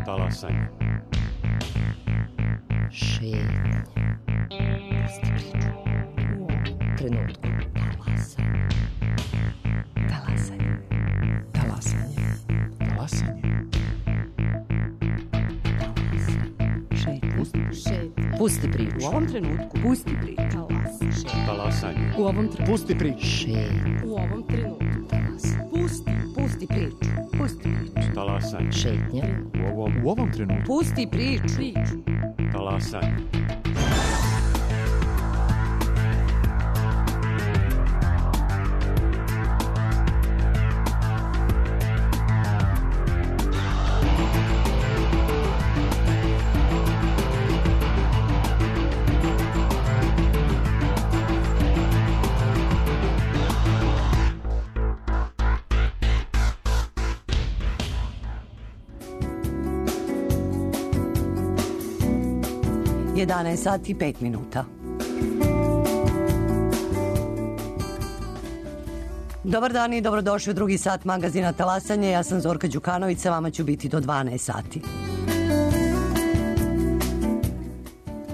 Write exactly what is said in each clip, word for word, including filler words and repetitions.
Talasanje. Šetnje. Pusti priču. U ovom trenutku. Talasanje. Talasanje. Talasanje. Talasanje. Šetnje. Pusti priču. U ovom trenutku. Pusti priču. Talasanje. U ovom trenutku. Pusti priču. Šetnje. U ovom trenutku. Talasanje. Pusti. Pusti priču. Pusti priču. Talasanje. Šetnje. U ovom, U ovom trenutku. Pusti priču. Priču. talasanje. jedanaest sati i pet minuta. Dobar dan i dobrodošli u drugi sat magazina Talasanje. Ja sam Zorka Đukanović, sa vama ću biti do dvanaest sati.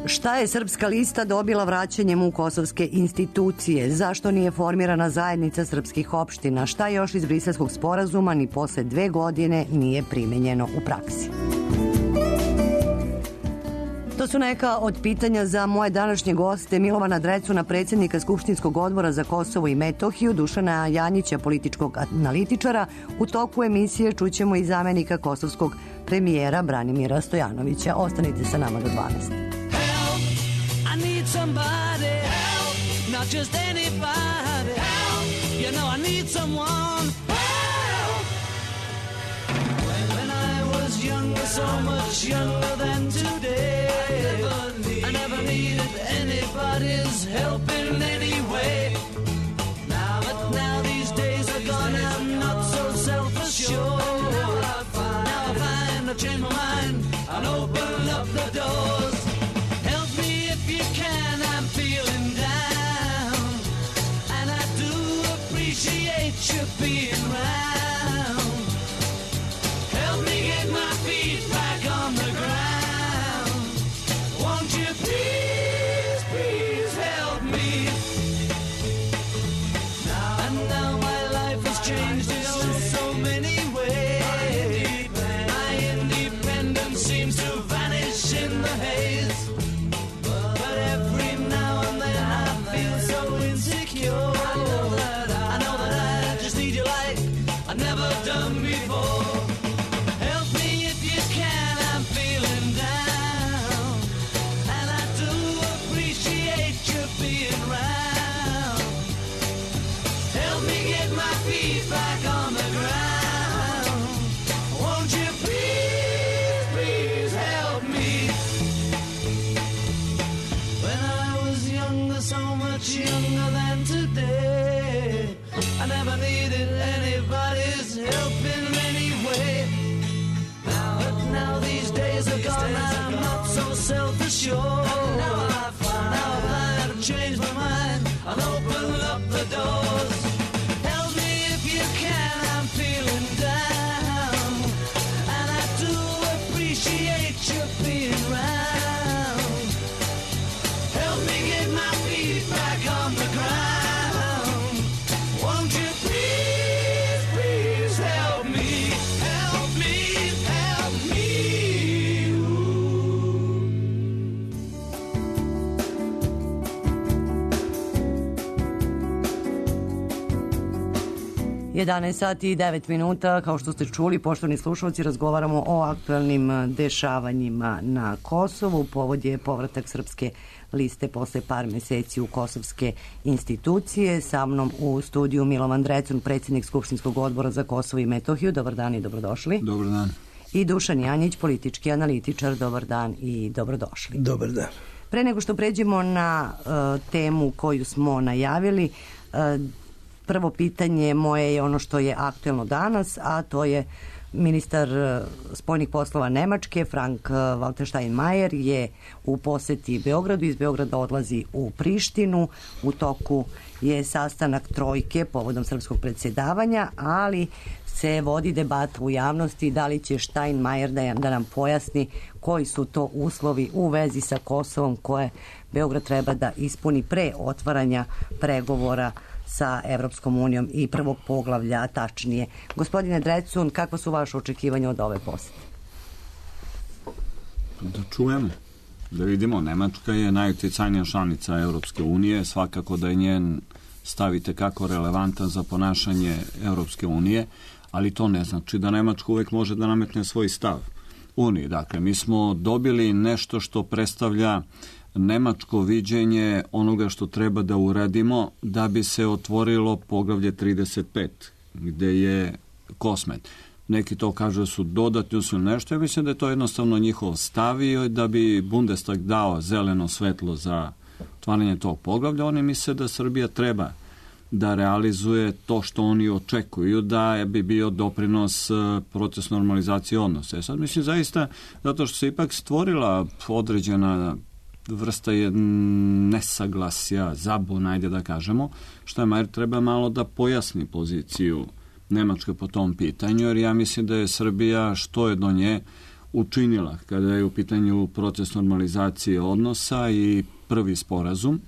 Šta je Srpska lista dobila vraćanjem u kosovske institucije? Zašto nije formirana zajednica srpskih opština? Šta još iz Briselskog sporazuma ni posle dve godine nije primenjeno u praksi? To su neka od pitanja za moje današnje goste: Milovana Drecuna, predsjednika Skupštinskog odbora za Kosovo i Metohiju, Dušana Janjića, političkog analitičara. U toku emisije čućemo i zamenika kosovskog premijera Branimira Stojanovića. Ostanite sa nama do dvanaest. Help, I need somebody, help, not just anybody, help, you know I need someone, help. When, when I was younger, so much younger than today, I never needed anybody's help in any way. Now, but now these days are gone, I'm not so self-assured. Now I find I've changed my mind and open up the doors. Help me if you can, I'm feeling down, and I do appreciate you being round. Help me get my feet back on the ground. Won't you please, please help me? Now, and now my life has changed in oh so many ways. My independence seems to vanish in the haze. But every now and then I feel so insecure. I know that I, I know that I just need you like I've never done before. Help me if you can, I'm feeling down, and I do appreciate you being round. Help me get my feet back on the ground. Won't you please, please help me? When I was younger, so much younger than today, I never needed anybody's help in any way. Now, but now these days are gone, I'm not so self-assured. Now I find, now I find I've changed my mind, I'll open up the doors. Help me if you can, I'm feeling down, and I do appreciate you being round. Help me get my feet back on the ground. Won't you please, please help me? Help me, help me. jedanaest sati i devet minuta, kao što ste čuli, poštovani slušalci, razgovaramo o aktualnim dešavanjima na Kosovu. Povod je povratak Srpske liste posle par meseci u kosovske institucije. Sa mnom u studiju Milovan Drecun, predsjednik Skupštinskog odbora za Kosovo i Metohiju. Dobar dan i dobrodošli. Dobar dan. I Dušan Janjić, politički analitičar. Dobar dan i dobrodošli. Dobar dan. Pre nego što pređemo na uh, temu koju smo najavili, uh, prvo pitanje moje je ono što je aktuelno danas, a to je Ministar spoljnih poslova Nemačke, Frank-Walter Steinmeier, je u poseti Beogradu. Iz Beograda odlazi u Prištinu. U toku je sastanak trojke povodom srpskog predsjedavanja, ali se vodi debata u javnosti da li će Steinmeier da, da nam pojasni koji su to uslovi u vezi sa Kosovom koje Beograd treba da ispuni pre otvaranja pregovora sa Evropskom unijom i prvog poglavlja, tačnije. Gospodine Drecun, kakva su vaše očekivanja od ove posete? Da čujemo, da vidimo. Nemačka je najuticajnija članica Evropske unije, svakako da je njen stavite kako relevantan za ponašanje Evropske unije, ali to ne znači da Nemačka uvek može da nametne svoj stav Uniji. Dakle, mi smo dobili nešto što predstavlja nemačko viđenje onoga što treba da uradimo da bi se otvorilo poglavlje trideset pet, gde je Kosmet. Neki to kažu da su dodatni uslovi nešto. Ja mislim da je to jednostavno njihov stav i da bi Bundestag dao zeleno svetlo za otvaranje tog poglavlja. Oni misle da Srbija treba da realizuje to što oni očekuju, da bi bio doprinos proces normalizacije odnosa. E sad mislim zaista, zato što se ipak stvorila određena vrsta je nesaglasja, zabuna, ajde da kažemo, Steinmeier treba malo da pojasni poziciju Nemačke po tom pitanju, jer ja mislim da je Srbija što je do nje učinila kada je u pitanju proces normalizacije odnosa i prvi sporazum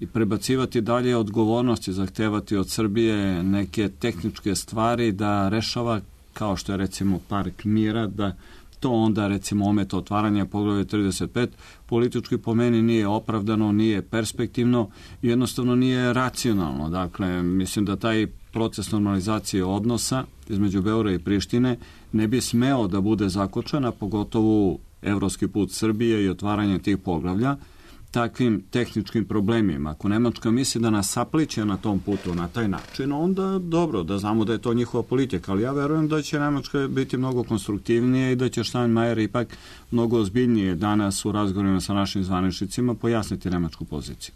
i prebacivati dalje odgovornosti, zahtevati od Srbije neke tehničke stvari da rešava, kao što je recimo Park mira, da to onda recimo ometa otvaranja poglavlja trideset pet, politički po meni nije opravdano, nije perspektivno, jednostavno nije racionalno. Dakle, mislim da taj proces normalizacije odnosa između Beograda i Prištine ne bi smeo da bude zakočena, pogotovo evropski put Srbije i otvaranje tih poglavlja, takvim tehničkim problemima. Ako Nemačka misli da nas sapliće na tom putu na taj način, onda dobro, da znamo da je to njihova politika, ali ja verujem da će Nemačka biti mnogo konstruktivnije i da će Steinmeier ipak mnogo ozbiljnije danas u razgovorima sa našim zvaničnicima pojasniti nemačku poziciju.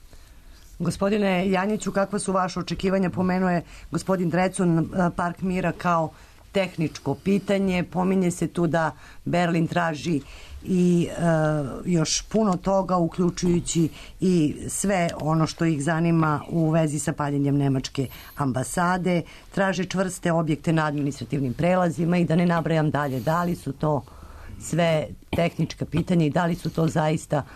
Gospodine Janjiću, kakva su vaše očekivanja? Pomenuo je gospodin Drecun Park mira kao tehničko pitanje. Pominje se tu da Berlin traži i e, još puno toga, uključujući i sve ono što ih zanima u vezi sa paljenjem nemačke ambasade. Traže čvrste objekte na administrativnim prelazima i da ne nabrajam dalje. Da li su to sve tehnička pitanja i da li su to zaista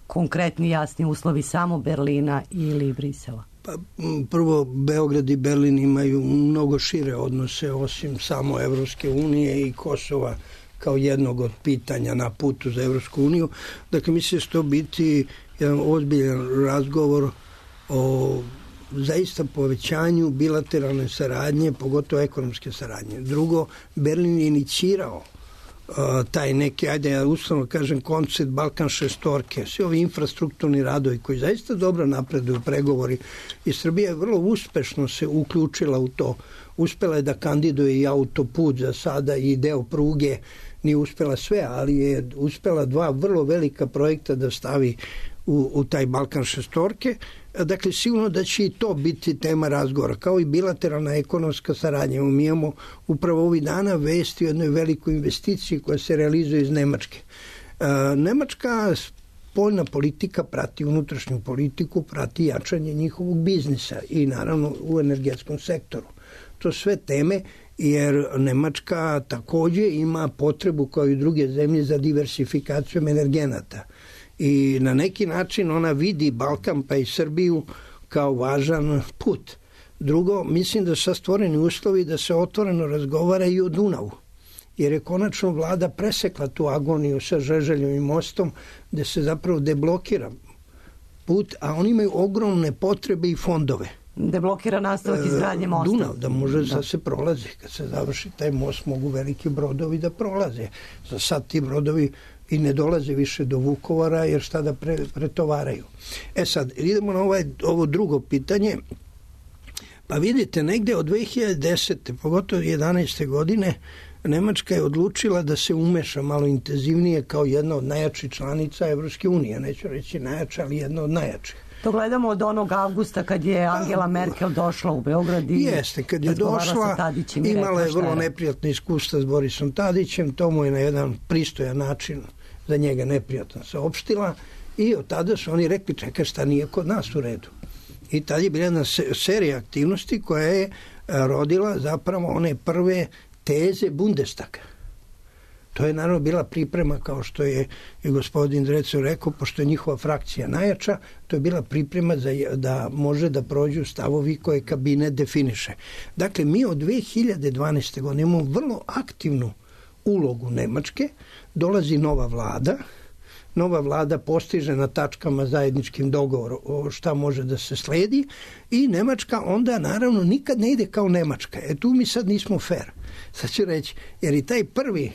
konkretni jasni uslovi samo Berlina ili Brisela? Pa, prvo, Beograd i Berlin imaju mnogo šire odnose osim samo Evropske unije i Kosova kao jednog od pitanja na putu za Evropsku uniju. Dakle, mislim da će to biti jedan ozbiljan razgovor o zaista povećanju bilateralne saradnje, pogotovo ekonomske saradnje. Drugo, Berlin je inicirao uh, taj neki, ajde ja uslovno kažem, koncept Balkan šestorke, svi ovi infrastrukturni radovi koji zaista dobro napreduju pregovori i Srbija je vrlo uspešno se uključila u to. Uspela je da kandiduje i autoput za sada i deo pruge, nije uspela sve, ali je uspela dva vrlo velika projekta da stavi u, u taj Balkan šestorke. Dakle, sigurno da će i to biti tema razgovora, kao i bilateralna ekonomska saradnja. Mi imamo upravo ovih dana vesti o jednoj velikoj investiciji koja se realizuje iz Nemačke. E, Nemačka spoljna politika prati unutrašnju politiku, prati jačanje njihovog biznisa i naravno u energetskom sektoru. To sve teme, jer Nemačka takođe ima potrebu kao i druge zemlje za diversifikacijom energenata. I na neki način ona vidi Balkan pa i Srbiju kao važan put. Drugo, mislim da su stvoreni uslovi da se otvoreno razgovara i o Dunavu, jer je konačno vlada presekla tu agoniju sa Žeželjevim mostom gde se zapravo deblokira put, a oni imaju ogromne potrebe i fondove. Deblokira nastavak izgradnje mosta. Dunav, da može da. da se prolazi. Kad se završi taj most, mogu veliki brodovi da prolaze. Za sad ti brodovi i ne dolaze više do Vukovara, jer šta da pre, pretovaraju. E sad, idemo na ovaj, ovo drugo pitanje. Pa vidite, negde od dve hiljade desete, pogotovo jedanaeste godine, Nemačka je odlučila da se umeša malo intenzivnije kao jedna od najjačih članica Evropske unije. Neću reći najjača, ali jedna od najjačih. To gledamo od onog avgusta kad je Angela Merkel došla u Beograd i jeste, kad je došla, imala je vrlo neprijatne iskustva s Borisom Tadićem, to mu je na jedan pristojan način za njega neprijatno saopštila i od tada su oni rekli čekaj šta nije kod nas u redu. I tada je bila jedna serija aktivnosti koja je rodila zapravo one prve teze Bundestaga. To je naravno bila priprema, kao što je i gospodin Drecu rekao, pošto je njihova frakcija najjača, to je bila priprema za, da može da prođu stavovi koje kabinet definiše. Dakle, mi od dve hiljade dvanaeste. godine imamo vrlo aktivnu ulogu Nemačke, dolazi nova vlada, nova vlada postiže na tačkama zajedničkim dogovor o šta može da se sledi i Nemačka onda naravno nikad ne ide kao Nemačka. E tu mi sad nismo fair. Sad ću reći, jer i taj prvi e,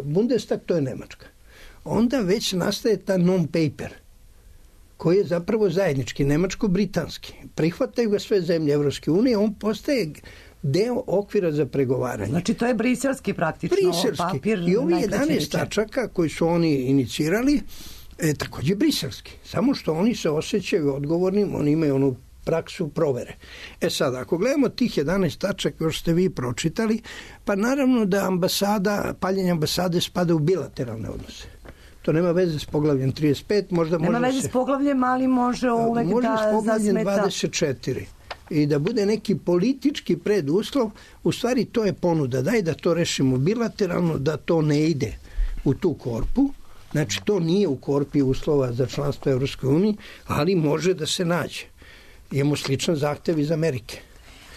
Bundestag, to je Nemačka. Onda već nastaje ta non-paper, koji je zapravo zajednički, nemačko-britanski. Prihvataju ga sve zemlje Evropske unije, on postaje deo okvira za pregovaranje. Znači to je briselski praktično briselski. Papir. I ovi jedanaest tačaka koji su oni inicirali, e, takođe briselski. Samo što oni se osjećaju odgovornim, oni imaju onu praksu provere. E sad, ako gledamo tih jedanaest tačaka još ste vi pročitali, pa naravno da ambasada, paljenje ambasade spada u bilateralne odnose. To nema veze s poglavljem trideset pet, možda nema može veze se, s poglavljem, ali može uvek može da s poglavljem zasmeta dvadeset četiri. I da bude neki politički preduslov, u stvari to je ponuda. Daj da to rešimo bilateralno, da to ne ide u tu korpu. Znači, to nije u korpi uslova za članstvo Evropskoj uniji, ali može da se nađe. Imamo sličan zahtev iz Amerike.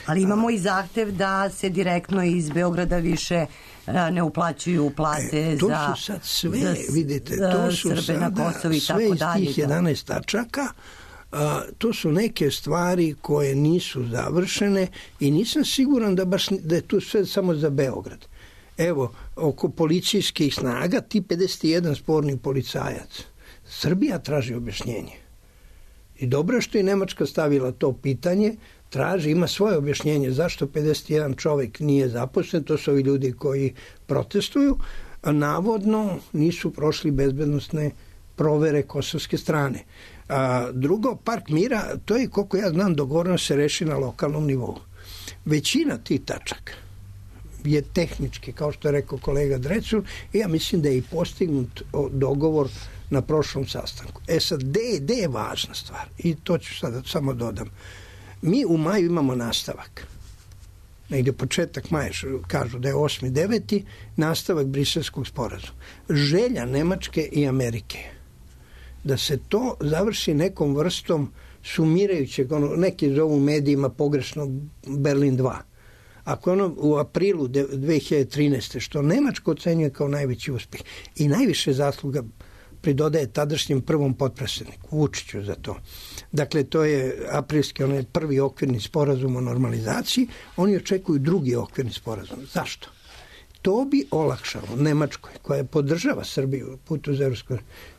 Ali imamo i zahtev da se direktno iz Beograda više ne uplaćuju plate e, to za, su sad sve, za, vidite, za to su Srbe sada na Kosovu i sve tako iz dalje. tih jedanaest tačaka. A, to su neke stvari koje nisu završene i nisam siguran da, baš, da je tu sve samo za Beograd. Evo, oko policijskih snaga, ti pedeset jedan sporni policajac, Srbija traži objašnjenje. I dobro što je Nemačka stavila to pitanje, traži, ima svoje objašnjenje zašto pedeset jedan čovjek nije zaposlen, to su ovi ljudi koji protestuju, a navodno nisu prošli bezbednosne provere kosovske strane. A drugo, Park mira, to je, koliko ja znam, dogovoreno se reši na lokalnom nivou. Većina tih tačaka je tehnički, kao što je rekao kolega Drecun, i ja mislim da je i postignut dogovor na prošlom sastanku. E sad, gde, gde je važna stvar? I to ću sada samo dodam. Mi u maju imamo nastavak. Negde početak maja, kažu da je osmi deveti nastavak Briselskog sporazuma. Želja Nemačke i Amerike da se to završi nekom vrstom sumirajućeg, ono, neki zovu medijima pogrešno Berlin dva. Ako je ono u aprilu dve hiljade trinaeste. što Nemačko ocenjuje kao najveći uspjeh i najviše zasluga pridodaje tadašnjem prvom potpredsjedniku Vučiću za to. Dakle, to je aprilski, onaj prvi okvirni sporazum o normalizaciji, oni očekuju drugi okvirni sporazum. Zašto? To bi olakšalo Nemačkoj, koja podržava Srbiju putu za Evropsku,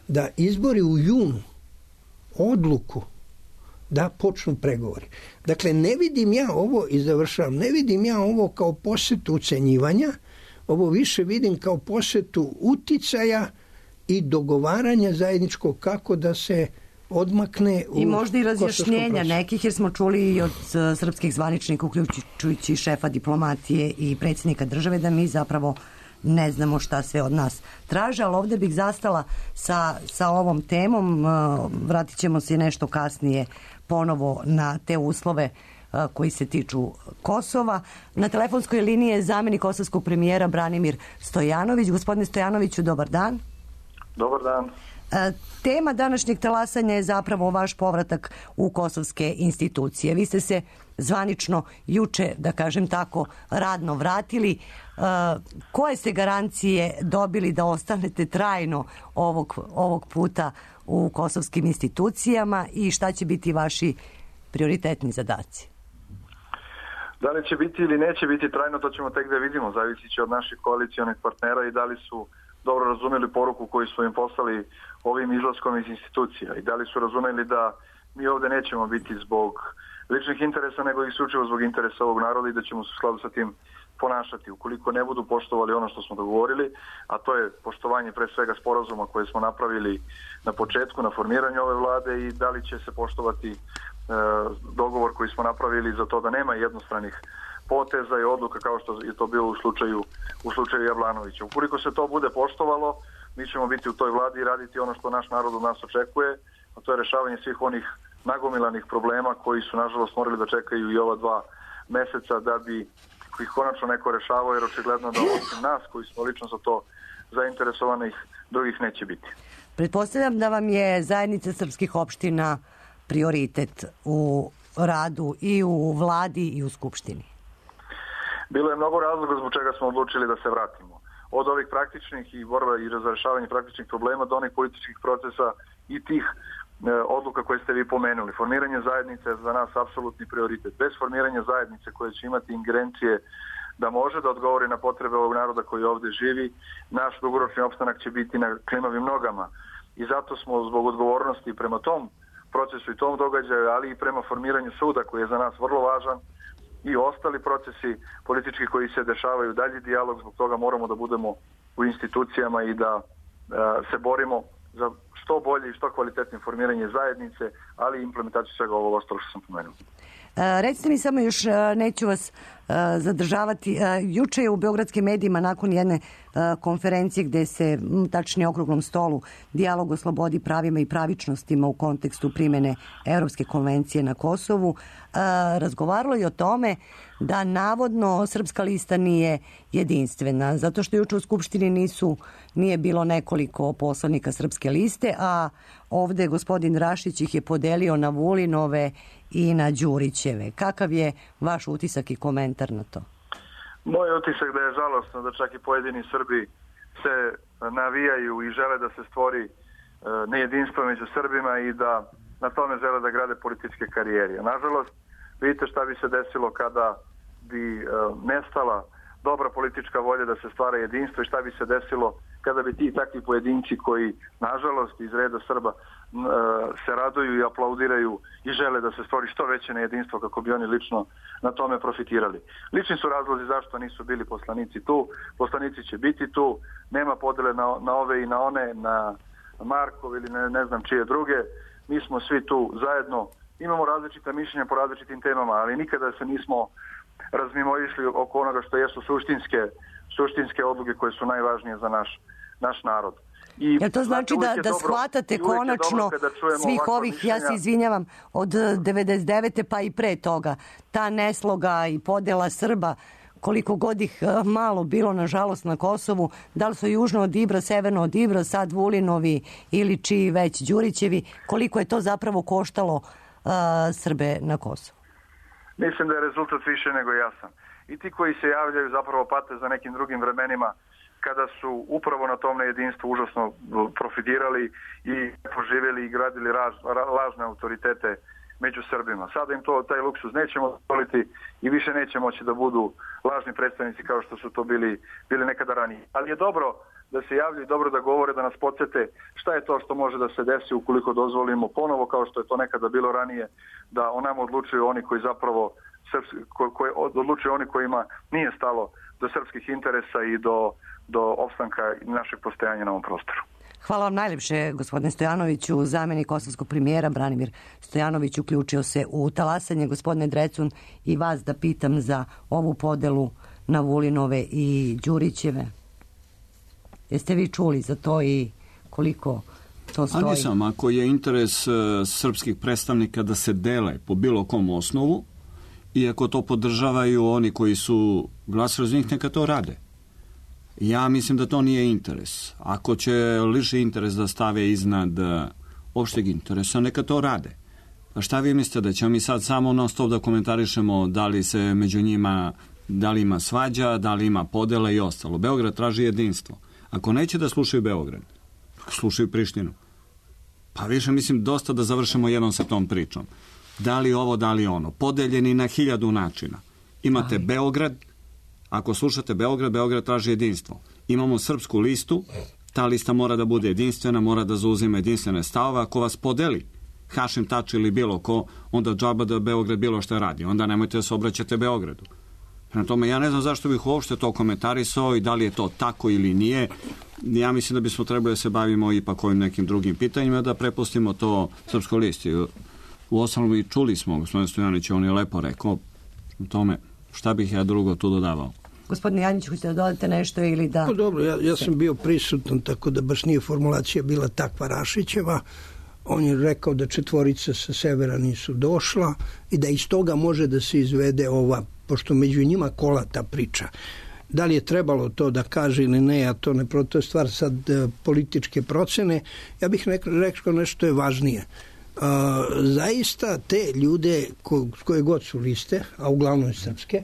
da izbori u junu odluku da počnu pregovori. Dakle, ne vidim ja ovo, i završavam, ne vidim ja ovo kao posjetu ucenjivanja, ovo više vidim kao posjetu uticaja i dogovaranja zajedničkog kako da se odmakne u i možda i razjašnjenja nekih, jer smo čuli i od srpskih zvaničnika, uključujući šefa diplomatije i predsjednika države, da mi zapravo ne znamo šta sve od nas traže, ali ovdje bih zastala sa, sa ovom temom. Vratit ćemo se nešto kasnije ponovo na te uslove koji se tiču Kosova. Na telefonskoj liniji je zamjenik kosovskog premijera Branimir Stojanović. Gospodine Stojanoviću, dobar dan. Dobar dan. Tema današnjeg talasanja je zapravo vaš povratak u kosovske institucije. Vi ste se zvanično juče, da kažem tako, radno vratili. Koje ste garancije dobili da ostanete trajno ovog, ovog puta u kosovskim institucijama i šta će biti vaši prioritetni zadaci? Da li će biti ili neće biti trajno, to ćemo tek da vidimo. Zavisi će od naših koalicionih partnera i da li su dobro razumeli poruku koju smo im poslali ovim izlaskom iz institucija i da li su razumeli da mi ovde nećemo biti zbog ličnih interesa, nego isključivo zbog interesa ovog naroda i da ćemo se u skladu sa tim ponašati. Ukoliko ne budu poštovali ono što smo dogovorili, a to je poštovanje pre svega sporazuma koje smo napravili na početku, na formiranju ove vlade, i da li će se poštovati e, dogovor koji smo napravili za to da nema jednostranih poteza i odluka kao što je to bilo u slučaju, u slučaju Jablanovića. Ukoliko se to bude poštovalo, mi ćemo biti u toj vladi i raditi ono što naš narod od nas očekuje, a to je rešavanje svih onih nagomilanih problema koji su nažalost morali da čekaju i ova dva meseca da bi ih konačno neko rešavao, jer očigledno da osim nas koji smo lično za to zainteresovanih, drugih neće biti. Pretpostavljam da vam je zajednica srpskih opština prioritet u radu i u vladi i u skupštini. Bilo je mnogo razloga zbog čega smo odlučili da se vratimo. Od ovih praktičnih i borba i razrešavanja praktičnih problema do onih političkih procesa i tih e, odluka koje ste vi pomenuli. Formiranje zajednice je za nas apsolutni prioritet. Bez formiranja zajednice koje će imati ingerencije da može da odgovori na potrebe ovog naroda koji ovde živi, naš dugoročni opstanak će biti na klimavim nogama. I zato smo zbog odgovornosti prema tom procesu i tom događaju, ali i prema formiranju suda koji je za nas vrlo važan, i ostali procesi politički koji se dešavaju, dalji dijalog, zbog toga moramo da budemo u institucijama i da e, se borimo za što bolje i što kvalitetnije formiranje zajednice, ali i implementaciju svega ovog ostalo što sam pomenuo. E, recite mi samo još, neću vas e, zadržavati, e, juče je u beogradskim medijima nakon jedne e, konferencije gde se, tačnije okruglom stolu, dijalog o slobodi, pravima i pravičnostima u kontekstu primene Evropske konvencije na Kosovu, e, razgovaralo i o tome da navodno Srpska lista nije jedinstvena, zato što juče u Skupštini nisu, nije bilo nekoliko poslanika Srpske liste, a ovde gospodin Rašić ih je podelio na Vulinove i na Đurićeve. Kakav je vaš utisak i komentar na to? Moj utisak da je žalostno da čak i pojedini Srbi se navijaju i žele da se stvori nejedinstvo među Srbima i da na tome žele da grade političke karijere. Nažalost, vidite šta bi se desilo kada bi nestala dobra politička volja da se stvara jedinstvo i šta bi se desilo kada bi ti takvi pojedinci koji, nažalost, iz reda Srba se raduju i aplaudiraju i žele da se stvori što veće nejedinstvo kako bi oni lično na tome profitirali. Lični su razlozi zašto nisu bili poslanici tu. Poslanici će biti tu. Nema podele na, na ove i na one, na Markov ili ne, ne znam čije druge. Mi smo svi tu zajedno. Imamo različita mišljenja po različitim temama, ali nikada se nismo razmimoišli oko onoga što jesu suštinske, suštinske odluke koje su najvažnije za naš, naš narod. I Jel to znači da, da shvatate konačno svih ovih, mišljenja. Ja se izvinjavam, od devedeset devete pa i pre toga, ta nesloga i podela Srba, koliko god ih malo bilo, nažalost, na Kosovu, da li su južno od Ibra, severno od Ibra, sad Vulinovi ili čiji već Đurićevi, koliko je to zapravo koštalo uh, Srbe na Kosovu? Mislim da je rezultat više nego jasan. I ti koji se javljaju zapravo pate za nekim drugim vremenima kada su upravo na tom nejedinstvu užasno profitirali i poživjeli i gradili raž, lažne autoritete među Srbima. Sada im to, taj luksuz nećemo dozvoliti i više neće moći da budu lažni predstavnici kao što su to bili, bili nekada ranije. Ali je dobro da se javljaju, dobro da govore, da nas podsjete šta je to što može da se desi ukoliko dozvolimo ponovo, kao što je to nekada bilo ranije, da o nama odlučuju oni koji zapravo ko, ko, odlučuju oni kojima nije stalo do srpskih interesa i do, do opstanka našeg postojanja na ovom prostoru. Hvala vam najljepše, gospodine Stojanoviću. Zamenik kosovskog premijera Branimir Stojanović uključio se u talasanje. Gospodine Drecun, i vas da pitam za ovu podelu na Vulinove i Đurićeve. Jeste vi čuli za to i koliko to stoji? A nisam, ako je interes uh, srpskih predstavnika da se dele po bilo kom osnovu, i ako to podržavaju oni koji su glasali za njih, neka to rade. Ja mislim da to nije interes. Ako će liši interes da stave iznad opšteg interesa, neka to rade. Pa šta vi mislite, da ćemo mi sad samo non stop da komentarišemo da li se među njima, da li ima svađa, da li ima podela i ostalo? Beograd traži jedinstvo. Ako neće da slušaju Beograd, slušaju Prištinu. Pa više mislim dosta da završimo jednom sa tom pričom. Da li ovo, da li ono. Podeljeni na hiljadu načina. Imate Aj. Beograd. Ako slušate Beograd, Beograd traži jedinstvo. Imamo srpsku listu, ta lista mora da bude jedinstvena, mora da zauzima jedinstvene stavove. Ako vas podeli, Hašim Tači ili bilo ko, onda džaba da Beograd bilo šta radi. Onda nemojte da se obraćate Beogradu. Prema tome, ja ne znam zašto bih uopšte to komentarisao i da li je to tako ili nije. Ja mislim da bismo trebali da se bavimo ipak ovim nekim drugim pitanjima, da prepustimo to Srpskoj listi. U osnovu i čuli smo, gospodin Stojanović, on je lepo rekao o tome šta bih ja drugo tu dodavao. Gospodine Janjić, hoćete da dodate nešto ili da... Pa dobro, ja, ja sam bio prisutan, tako da baš nije formulacija bila takva Rašićeva. On je rekao da četvorica sa severa nisu došla i da iz toga može da se izvede ova, pošto među njima kola ta priča. Da li je trebalo to da kaže ili ne, a to ne, to je stvar sad e, političke procene. Ja bih rekao nešto je važnije. Uh, zaista te ljude ko, koje god su liste, a uglavnom je srpske,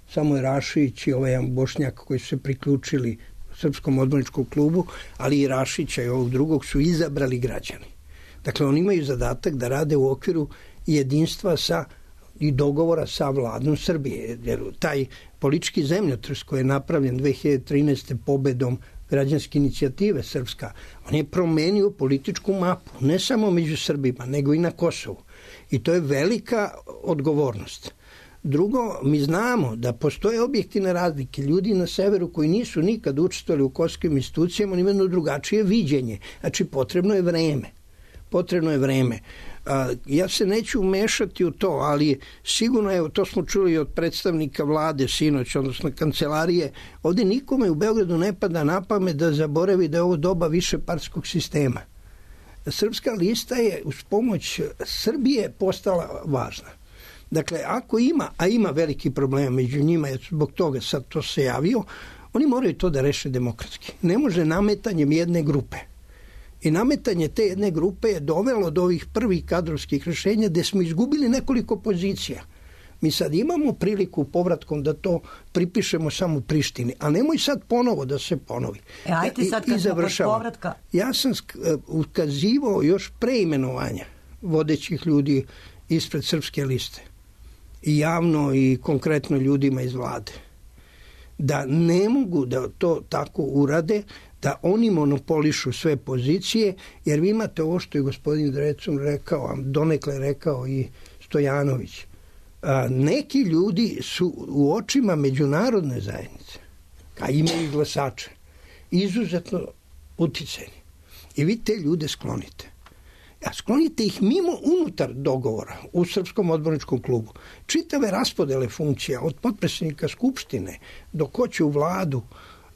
samo je Rašić i ovaj jedan Bošnjak koji su se priključili Srpskom odborničkom klubu, ali i Rašića i ovog drugog su izabrali građani. Dakle, oni imaju zadatak da rade u okviru jedinstva sa i dogovora sa vladom Srbije. Jer taj politički zemljotres koji je napravljen dve hiljade trinaeste. pobedom građanske inicijative Srpska, on je promenio političku mapu, ne samo među Srbima, nego i na Kosovu. I to je velika odgovornost. Drugo, mi znamo da postoje objektivne razlike. Ljudi na severu koji nisu nikad učestvovali u kosovskim institucijama, oni imaju drugačije viđenje. Znači, potrebno je vreme. Potrebno je vreme. Ja se neću umešati u to, ali sigurno, evo, to smo čuli od predstavnika vlade sinoć, odnosno kancelarije, ovdje nikome u Beogradu ne pada na pamet da zaboravi da je ovo doba višepartskog sistema. Srpska lista je uz pomoć Srbije postala važna. Dakle, ako ima, a ima veliki problem među njima, jer zbog toga sad to se javio, oni moraju to da reše demokratski. Ne može nametanjem jedne grupe. I nametanje te jedne grupe je dovelo do ovih prvih kadrovskih rješenja gdje smo izgubili nekoliko pozicija. Mi sad imamo priliku povratkom da to pripišemo samo Prištini, a nemoj sad ponovo da se ponovi. E, ajte sad kad smo kod povratka. Ja sam ukazivao još pre imenovanja vodećih ljudi ispred Srpske liste. I javno i konkretno ljudima iz vlade. Da ne mogu da to tako urade, da oni monopolišu sve pozicije, jer vi imate ovo što je gospodin Drecun rekao, a donekle rekao i Stojanović. A, neki ljudi su u očima međunarodne zajednice, a imaju glasače, izuzetno uticajni. I vi te ljude sklonite. A sklonite ih mimo unutar dogovora u Srpskom odborničkom klubu. Čitave raspodele funkcija, od potpredsjednika Skupštine do ko će u vladu.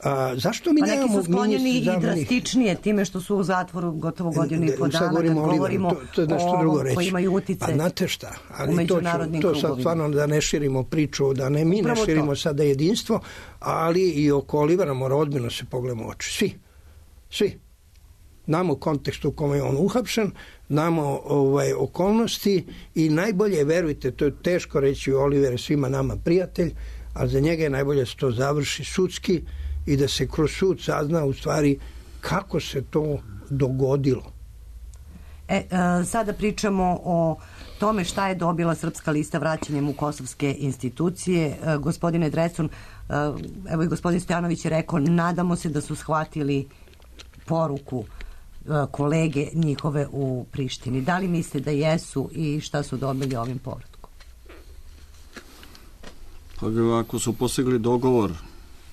A, zašto mi pa neki su sklonjeni i drastičnije time što su u zatvoru gotovo godinu i po dana, govorimo kad govorimo to, to je nešto o drugo reći. Koji imaju utice pa znate šta, ali u međunarodnim to, ću, to sad stvarno da ne širimo priču, da ne mi Upravo ne širimo to. sada jedinstvo, ali i oko Olivera mora odmjeno se pogledamo oči. Svi. Svi. Znamo kontekst u kome je on uhapšen, znamo ovaj, okolnosti i najbolje, verujte, to je teško reći, Oliver je svima nama prijatelj, ali za njega je najbolje da se to završi sudski i da se kroz sud sazna u stvari kako se to dogodilo. E, e, sada pričamo o tome šta je dobila Srpska lista vraćanjem u kosovske institucije. E, gospodine Drecun, e, evo i gospodin Stojanović je rekao, nadamo se da su shvatili poruku kolege njihove u Prištini. Da li mislite da jesu i šta su dobili ovim povratkom? Pa ako su postigli dogovor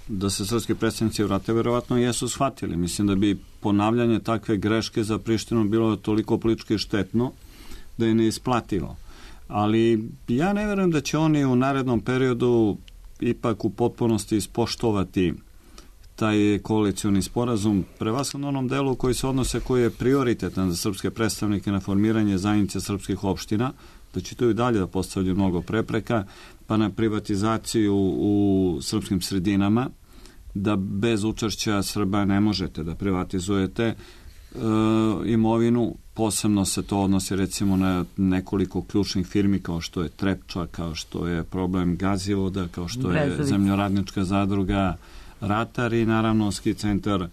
da se srpski predstavnici vrate, verovatno jesu shvatili. Mislim da bi ponavljanje takve greške za Prištinu bilo toliko politički štetno da je neisplativo. Ali ja ne verujem da će oni u narednom periodu ipak u potpunosti ispoštovati taj koalicioni sporazum, prevashodno onom delu koji se odnose, koji je prioritetan za srpske predstavnike na formiranje zajednice srpskih opština, da će to i dalje da postavlja mnogo prepreka, pa na privatizaciju u srpskim sredinama, da bez učešća Srba ne možete da privatizujete e, imovinu. Posebno se to odnosi recimo na nekoliko ključnih firmi kao što je Trepča, kao što je problem Gazivoda, kao što je Brezovica. Zemljoradnička zadruga Ratar i naravno ski centar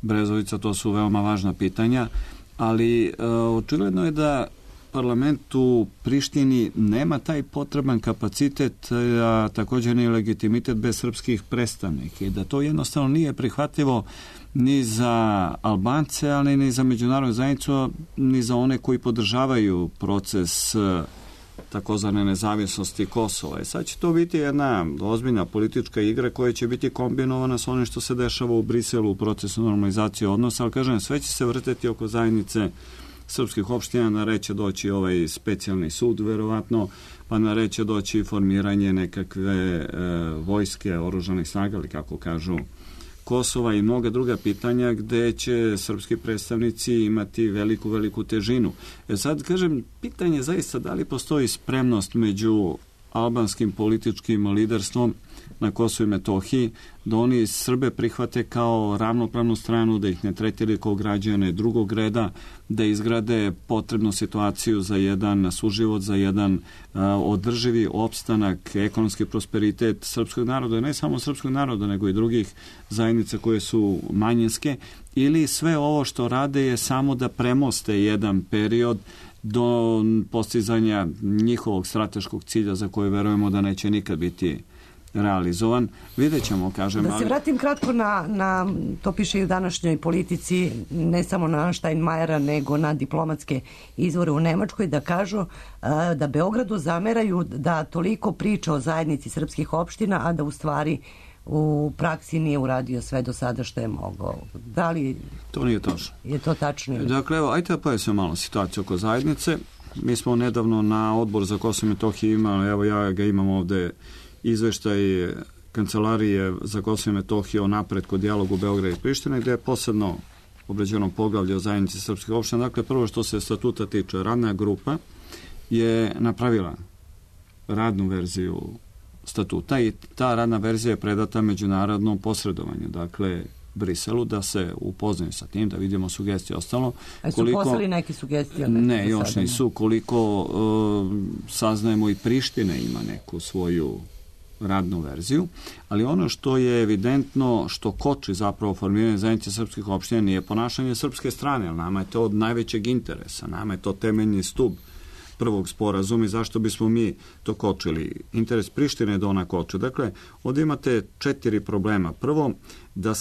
Brezovica. To su veoma važna pitanja, ali e, očigledno je da parlament u Prištini nema taj potreban kapacitet, a također ni legitimitet bez srpskih predstavnika i da to jednostavno nije prihvatljivo ni za Albance, ali ni za međunarodnu zajednicu, ni za one koji podržavaju proces takozvane nezavisnosti Kosova. I sad će to biti jedna ozbiljna politička igra koja će biti kombinovana s onim što se dešava u Briselu u procesu normalizacije odnosa, ali kažem, sve će se vrteti oko zajednice srpskih opština, na red će doći ovaj specijalni sud, verovatno, pa na red će doći formiranje nekakve e, vojske, oružanih snaga, ali kako kažu, Kosova i mnoga druga pitanja gde će srpski predstavnici imati veliku, veliku težinu. E sad, kažem, pitanje je zaista da li postoji spremnost među albanskim političkim liderstvom na Kosovu i Metohiji, da oni Srbe prihvate kao ravnopravnu stranu, da ih ne tretiraju kao građane drugog reda, da izgrade potrebnu situaciju za jedan suživot, za jedan a, održivi opstanak, ekonomski prosperitet srpskog naroda, ne samo srpskog naroda, nego i drugih zajednica koje su manjinske, ili sve ovo što rade je samo da premoste jedan period do postizanja njihovog strateškog cilja za koje verujemo da neće nikad biti realizovan. Vidjet ćemo, kažem. Da se vratim kratko na, na to piše i u današnjoj politici, ne samo na Steinmeiera, nego na diplomatske izvore u Nemačkoj, da kažu a, da Beogradu zameraju da toliko priča o zajednici srpskih opština, a da u stvari u praksi nije uradio sve do sada što je mogao. Da li to nije tačno? Je to tačno? Ili? Dakle, evo, ajte da pojasnimo malo situaciju oko zajednice. Mi smo nedavno na Odbor za Kosovo i Metohiju imali, evo ja ga imam ovde, izveštaj Kancelarije za Kosovo i Metohiju o napretku dijalogu Beograda i Prištine, gde je posebno obrađeno poglavlje o zajednici srpskih opština. Dakle, prvo što se statuta tiče, radna grupa je napravila radnu verziju statuta i ta radna verzija je predata međunarodnom posredovanju, dakle Briselu, da se upoznaju sa tim, da vidimo sugestije ostalo. A su koliko, poslali neke sugestije? Ne, još nisu. Koliko uh, saznajemo i Priština ima neku svoju radnu verziju, ali ono što je evidentno, što koči zapravo formiranje zajednice srpskih opština nije ponašanje srpske strane, ali nama je to od najvećeg interesa, nama je to temeljni stub prvog sporazuma i zašto bismo mi to kočili. Interes Prištine je da ona koče. Dakle, ovdje imate četiri problema. Prvo, da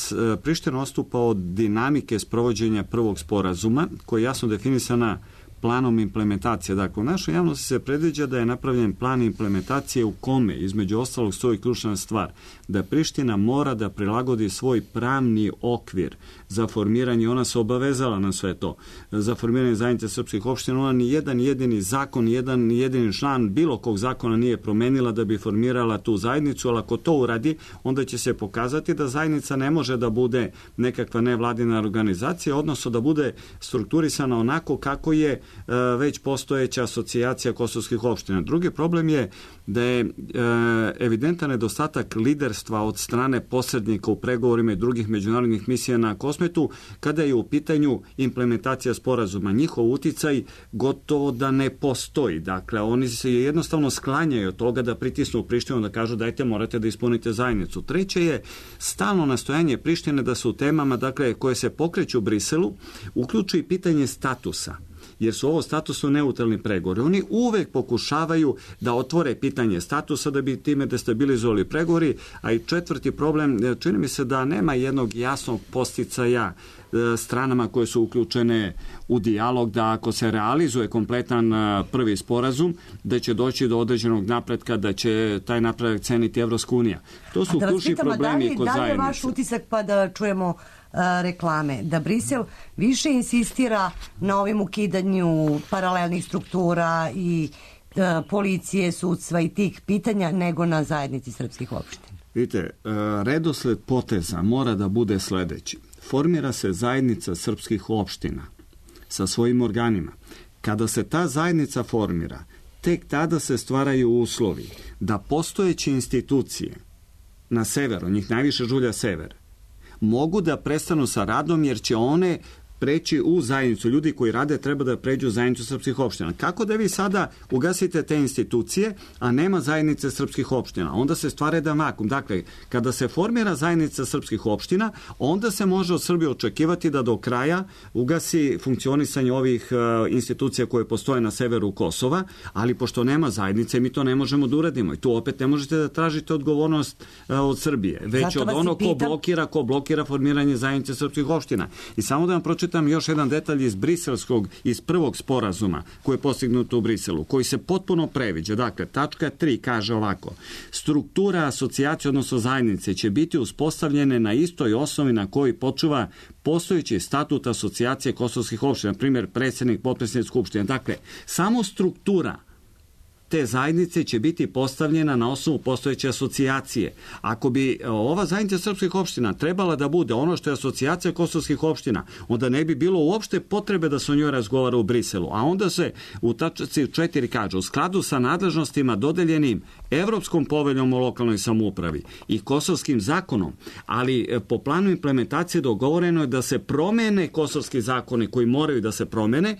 Priština odstupa od dinamike sprovođenja prvog sporazuma, koja je jasno definisana planom implementacije. Dakle, u našoj javnosti se predviđa da je napravljen plan implementacije u kome, između ostalog, stoji ključna stvar, da Priština mora da prilagodi svoj pravni okvir za formiranje, ona se obavezala na sve to, za formiranje zajednice srpskih opština, ona ni jedan jedini zakon, ni jedan jedini član bilo kog zakona nije promenila da bi formirala tu zajednicu, ali ako to uradi, onda će se pokazati da zajednica ne može da bude nekakva nevladina organizacija, odnosno da bude strukturisana onako kako je već postojeća asocijacija kosovskih opština. Drugi problem je da je evidentan nedostatak liderstva od strane posrednika u pregovorima i drugih međunarodnih misija na Kosmetu kada je u pitanju implementacija sporazuma. Njihov uticaj gotovo da ne postoji. Dakle, oni se jednostavno sklanjaju od toga da pritisnu Prištinu, da kažu dajte, morate da ispunite zajednicu. Treće je stalno nastojanje Prištine da se u temama, dakle, koje se pokreću u Briselu, uključi i pitanje statusa, jer su ovo statusno neutralni pregovori. Oni uvek pokušavaju da otvore pitanje statusa da bi time destabilizovali pregovori, a i četvrti problem, čini mi se da nema jednog jasnog posticaja stranama koje su uključene u dijalog, da ako se realizuje kompletan prvi sporazum, da će doći do određenog napretka, da će taj napredak ceniti Evropska unija. To su ključni problemi kod zajednice. Da li je vaš utisak, pa da čujemo reklame, da Brisel više insistira na ovim ukidanju paralelnih struktura i policije, sudstva i tih pitanja nego na zajednici srpskih opština? Vidite, redosled poteza mora da bude sledeći. Formira se zajednica srpskih opština sa svojim organima. Kada se ta zajednica formira, tek tada se stvaraju uslovi da postojeće institucije na severu, njih najviše žulja sever, mogu da prestanu sa radom jer će one preći u zajednicu. Ljudi koji rade treba da pređu u zajednicu srpskih opština. Kako da vi sada ugasite te institucije, a nema zajednice srpskih opština? Onda se stvara jedan vakum. Dakle, kada se formira zajednica srpskih opština, onda se može od Srbije očekivati da do kraja ugasi funkcionisanje ovih uh, institucija koje postoje na severu Kosova, ali pošto nema zajednice, mi to ne možemo da uradimo. I tu opet ne možete da tražite odgovornost uh, od Srbije, već od onog ko blokira, ko blokira formiranje zajednice srpskih opština. I samo da vam pročitam još jedan detalj iz briselskog, iz prvog sporazuma koji je postignut u Briselu, koji se potpuno previđa. Dakle, tačka tri kaže ovako: struktura asocijacije, odnosno zajednice, će biti uspostavljene na istoj osnovi na koji počuva postojeći statut asocijacije kosovskih opština, na primjer predsjednik, potpredsjednik skupštine. Dakle, samo struktura te zajednice će biti postavljena na osnovu postojeće asocijacije. Ako bi ova zajednica srpskih opština trebala da bude ono što je asocijacija kosovskih opština, onda ne bi bilo uopšte potrebe da se o njoj razgovara u Briselu. A onda se u tačci četiri kaže: u skladu sa nadležnostima dodeljenim Evropskom poveljom o lokalnoj samoupravi i kosovskim zakonom, ali po planu implementacije dogovoreno je da se promene kosovski zakoni koji moraju da se promene.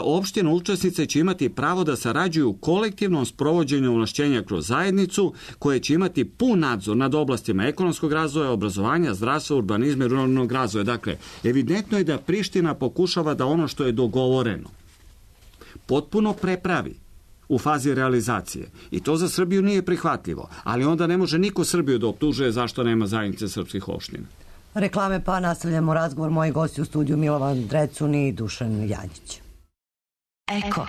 Opština učesnice će imati pravo da sarađuju u kolektivnom sprovođenju ovlašćenja kroz zajednicu, koje će imati pun nadzor nad oblastima ekonomskog razvoja, obrazovanja, zdravstva, urbanizma i ruralnog razvoja. Dakle, evidentno je da Priština pokušava da ono što je dogovoreno potpuno prepravi u fazi realizacije. I to za Srbiju nije prihvatljivo. Ali onda ne može niko Srbiju da optužuje zašto nema zajednice srpskih opština. Reklame, pa nastavljamo razgovor. Moji gosti u studiju Milovan Drecun i Dušan Janjić. Eko.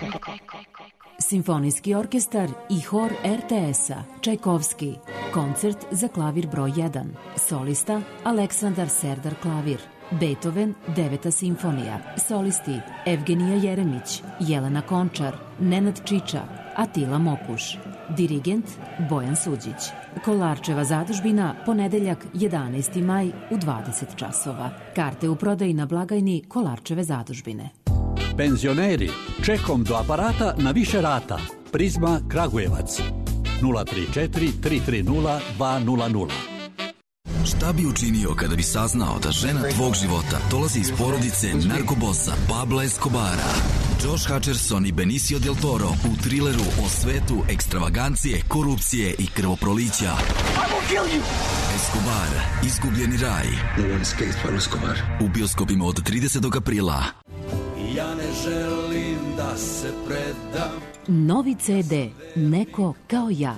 Simfonijski orkestar i hor er te es-a Čajkovski. Koncert za klavir broj jedan. Solista Aleksandar Serdar klavir. Beethoven, deveta simfonija. Solisti Evgenija Jeremić, Jelena Končar, Nenad Čiča, Atila Mokuš. Dirigent Bojan Suđić. Kolarčeva zadužbina, ponedeljak jedanaesti maj u dvadeset časova. Karte u prodaji na blagajni Kolarčeve zadužbine. Penzioneri, čekom do aparata na više rata. Prizma Kragujevac. nula tri četiri tri tri nula dva nula nula. Šta bi učinio kada bi saznao da žena tvog života dolazi iz porodice narkobosa Pabla Escobara? Josh Hutcherson i Benicio del Toro u trileru o svetu ekstravagancije, korupcije i krvoprolića. Escobar, izgubljeni raj. No one escapes from Escobar. U bioskopima od tridesetog aprila. Ja ne želim da se predam. Novi ce de Neko kao ja.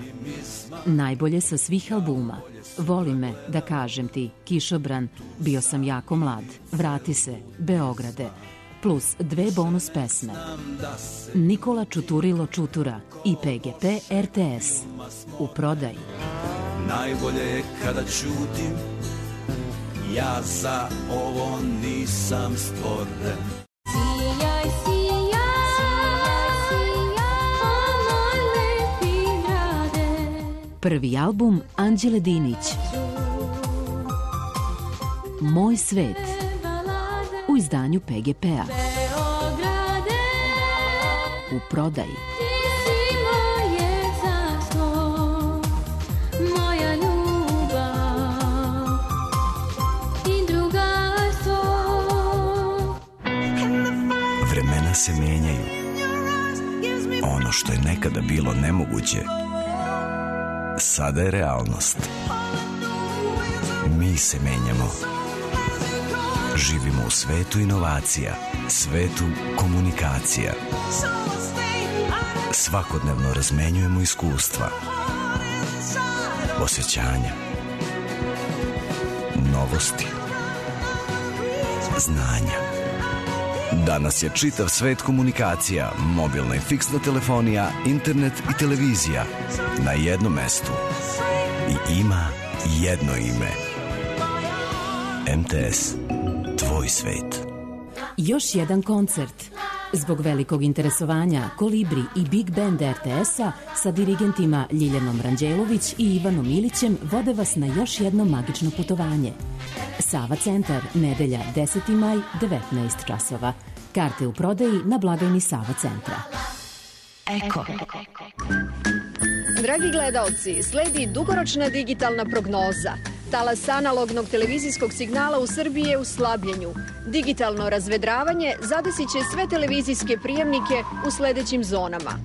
Najbolje sa svih albuma. Voli me, da kažem ti, Kišobran, Bio sam jako mlad, Vrati se, Beograde, plus dve bonus pesme. Nikola Čuturilo Čutura i pe ge pe er te es. U prodaji. Najbolje je kada ćutim, ja za ovo nisam stvoren. Sijaj, sijaj, sijaj, moj lepi grade. Prvi album Anđele Dinić. Moj svet. U izdanju pe ge pe-a. U prodaji. Vremena se menjaju. Ono što je nekada bilo nemoguće, sada je realnost. Mi se menjamo. Živimo u svetu inovacija, svetu komunikacija. Svakodnevno razmenjujemo iskustva, osjećanja, novosti, znanja. Danas je čitav svet komunikacija, mobilna i fiksna telefonija, internet i televizija na jednom mestu. I ima jedno ime. em te es. Tvoj svet. Još jedan koncert. Zbog velikog interesovanja Kolibri i Big Band er te es-a sa dirigentima Ljiljanom Ranđelović i Ivanom Ilićem vode vas na još jedno magično putovanje. Sava centar, nedelja deseti maj, devetnaest časova. Karte u prodaji na blagajni Sava centra. Eko. Dragi gledaoci, sledi dugoročna digitalna prognoza. Talas analognog televizijskog signala u Srbiji je u slabljenju. Digitalno razvedravanje zadesit će sve televizijske prijemnike u sledećim zonama.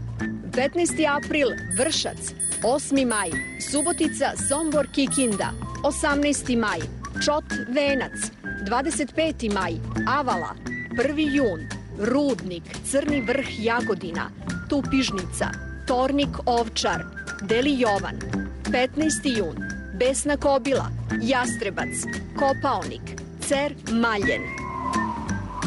petnaesti april Vršac, osmi maj Subotica, Sombor, Kikinda, osamnaesti maj Čot, Venac, dvadeset peti maj Avala, prvi jun Rudnik, Crni Vrh, Jagodina, Tupižnica, Tornik, Ovčar, Deli Jovan, petnaesti jun Besna Kobila, Jastrebac, Kopaonik, Cer, Maljen.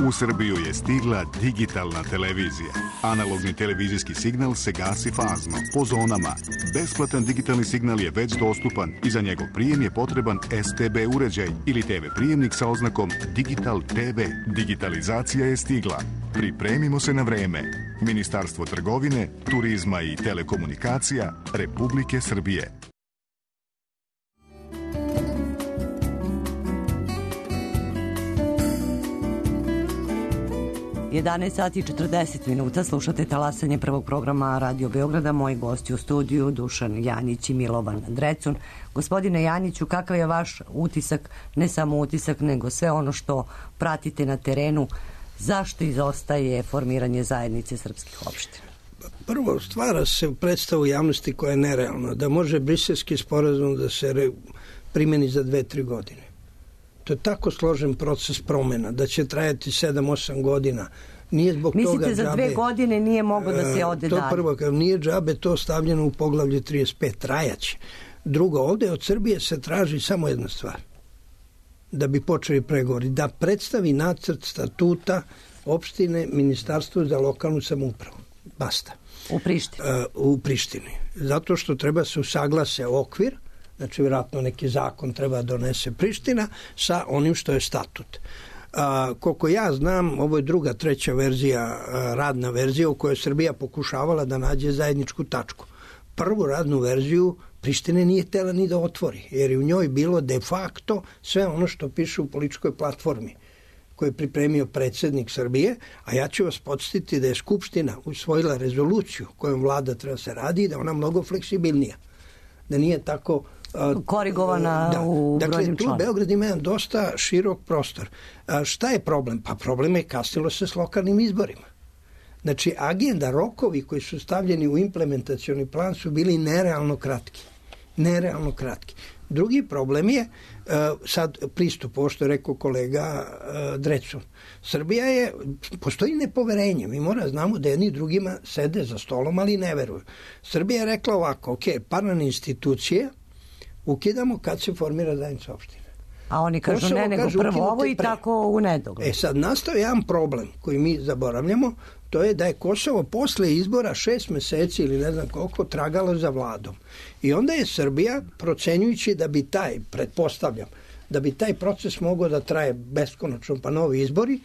U Srbiju je stigla digitalna televizija. Analogni televizijski signal se gasi fazno, po zonama. Besplatan digitalni signal je već dostupan i za njegov prijem je potreban S T B uređaj ili T V prijemnik sa oznakom Digital T V. Digitalizacija je stigla. Pripremimo se na vreme. Ministarstvo trgovine, turizma i telekomunikacija Republike Srbije. jedanaest sati i četrdeset minuta, slušate talasanje prvog programa Radio Beograda. Moji gosti u studiju Dušan Janjić i Milovan Drecun. Gospodine Janjiću, kakav je vaš utisak, ne samo utisak, nego sve ono što pratite na terenu, zašto izostaje formiranje zajednice srpskih opština? Prvo, stvara se predstavu javnosti koja je nerealna, da može briselski sporazum da se primeni za dve, tri godine. To je tako složen proces promena, da će trajati sedam osam godina. Nije zbog Mislite toga za džabe, dve godine nije moglo da se ode to dalje? Prvo, kad nije džabe to stavljeno u poglavlje trideset pet, trajaće. Drugo, ovde od Srbije se traži samo jedna stvar, da bi počeli pregovori, da predstavi nacrt statuta opštine Ministarstvu za lokalnu samoupravu. Basta. U Prištini? Uh, u Prištini. Zato što treba se usaglase okvir, znači vjerojatno neki zakon treba donese Priština sa onim što je statut. A, koliko ja znam, ovo je druga, treća verzija, a, radna verzija u kojoj je Srbija pokušavala da nađe zajedničku tačku. Prvu radnu verziju Prištine nije htela ni da otvori, jer je u njoj bilo de facto sve ono što piše u političkoj platformi koju je pripremio predsjednik Srbije, a ja ću vas podsjetiti da je Skupština usvojila rezoluciju kojom vlada treba se radi i da ona mnogo fleksibilnija, da nije tako korigovana da. u dakle, brojnim tu članom. Beograd ima jedan dosta širok prostor. A šta je problem? Pa problem je kasnilo se s lokalnim izborima. Znači, agenda, rokovi koji su stavljeni u implementacioni plan su bili nerealno kratki. Nerealno kratki. Drugi problem je uh, sad pristup, ovo što je rekao kolega uh, Drecun. Srbija je, postoji nepoverenje. Mi mora znamo da jedni drugima sede za stolom, ali ne veruju. Srbija je rekla ovako, ok, paralelne institucije ukidamo kad se formira zajednica opština. A oni kažu Kosovo ne, nego kažu, prvo ukinuti ovo i pre. tako u nedogled. E sad nastaje jedan problem koji mi zaboravljamo, to je da je Kosovo posle izbora šest meseci ili ne znam koliko tragalo za vladom. I onda je Srbija, procenjujući da bi taj, pretpostavljam, da bi taj proces mogao da traje beskonačno pa novi izbori,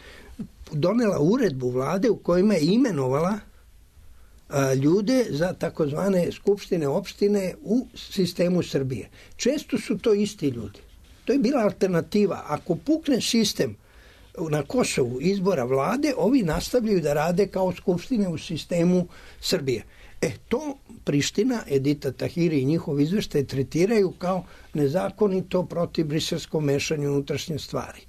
donela uredbu vlade u kojima je imenovala a, ljude za takozvane skupštine opštine u sistemu Srbije. Često su to isti ljudi. To je bila alternativa. Ako pukne sistem na Kosovu izbora vlade, ovi nastavljaju da rade kao skupštine u sistemu Srbije. E, to Priština, Edita Tahiri i njihov izveštaj tretiraju kao nezakonito protiv briselskom mešanju unutrašnje stvari.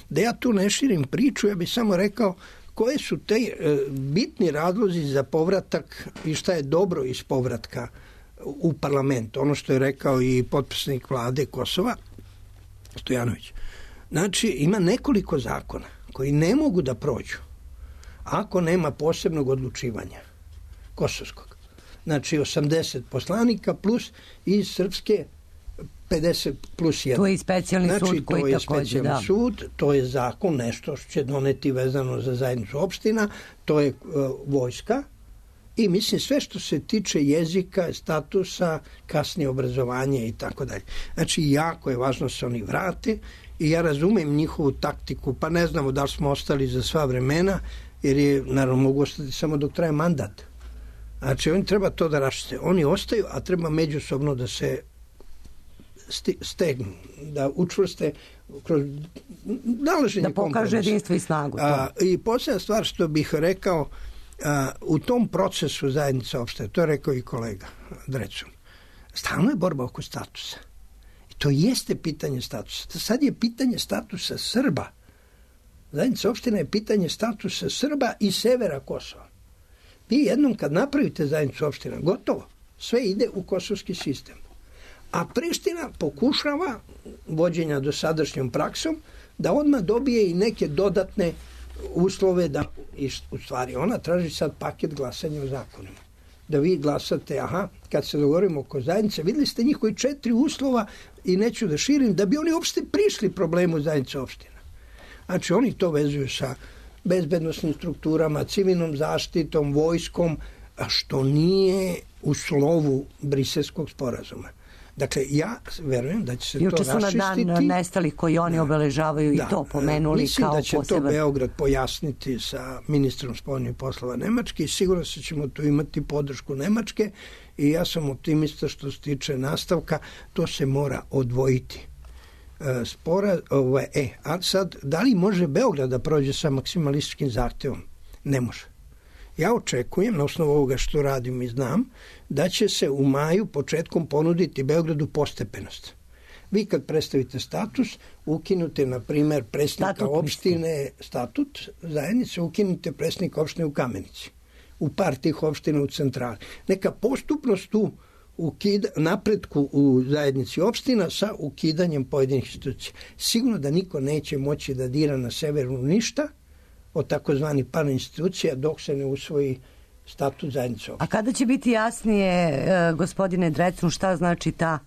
Da ja tu ne širim priču, ja bih samo rekao koje su te e, bitni razlozi za povratak i šta je dobro iz povratka u parlament. Ono što je rekao i potpisnik vlade Kosova, Stojanović. Znači, ima nekoliko zakona koji ne mogu da prođu ako nema posebnog odlučivanja kosovskog. Znači, osamdeset poslanika plus iz Srpske pedeset plus jedan. To je i specijalni znači, sud koji to je takođe, specijalni da. sud, to je zakon, nešto što će doneti vezano za zajednicu opština, to je uh, vojska i mislim sve što se tiče jezika, statusa, kasnije obrazovanje i tako dalje. Znači, jako je važno da se oni vrate i ja razumem njihovu taktiku, pa ne znamo da li smo ostali za sva vremena, jer je, naravno, mogu ostati samo dok traje mandat. Znači, oni treba to da rašite. Oni ostaju, a treba međusobno da se stegnu, da učvrste kroz nalaženje da pokaže jedinstvo i snagu. A, I posljedna stvar što bih rekao, a, u tom procesu zajednica opšte, to je rekao i kolega Drecun, stalno je borba oko statusa. I To jeste pitanje statusa. Sad je pitanje statusa Srba. Zajednica opština je pitanje statusa Srba i severa Kosova. Vi jednom kad napravite zajednicu opština, gotovo, sve ide u kosovski sistem. A Priština pokušava, vođenja dosadašnjom praksom, da odmah dobije i neke dodatne uslove da, u stvari, ona traži sad paket glasanja o zakonima. Da vi glasate, aha, kad se dogovorimo oko zajednice, videli ste njihovi četiri uslova i neću da širim, da bi oni uopšte prišli problemu zajednice opština. Znači, oni to vezuju sa bezbednosnim strukturama, civilnom zaštitom, vojskom, a što nije u slovu Briselskog sporazuma. Dakle, ja verujem da će se Juče to raščistiti. Juče su na dan nestalih koji oni obeležavaju da, i to pomenuli mislim kao poseban. Mislim da će poseban. to Beograd pojasniti sa ministrom spoljnih poslova Nemačke i sigurno se ćemo tu imati podršku Nemačke i ja sam optimista što se tiče nastavka, to se mora odvojiti. Spora, ovaj, e, a sad, da li može Beograd da prođe sa maksimalističkim zahtevom? Ne može. Ja očekujem, na osnovu ovoga što radim i znam, da će se u maju početkom ponuditi Beogradu postepenost. Vi kad predstavite status, ukinute, na primer, predsjednika statut, opštine, statut zajednice, ukinute predsjednika opštine u Kamenici. U par tih opština u centrali. Neka postupnost tu ukida, napretku u zajednici opština sa ukidanjem pojedinih institucija. Sigurno da niko neće moći da dira na severu ništa od takozvani par institucija dok se ne usvoji statut zajednice opština. A kada će biti jasnije, gospodine Drecun, šta znači ta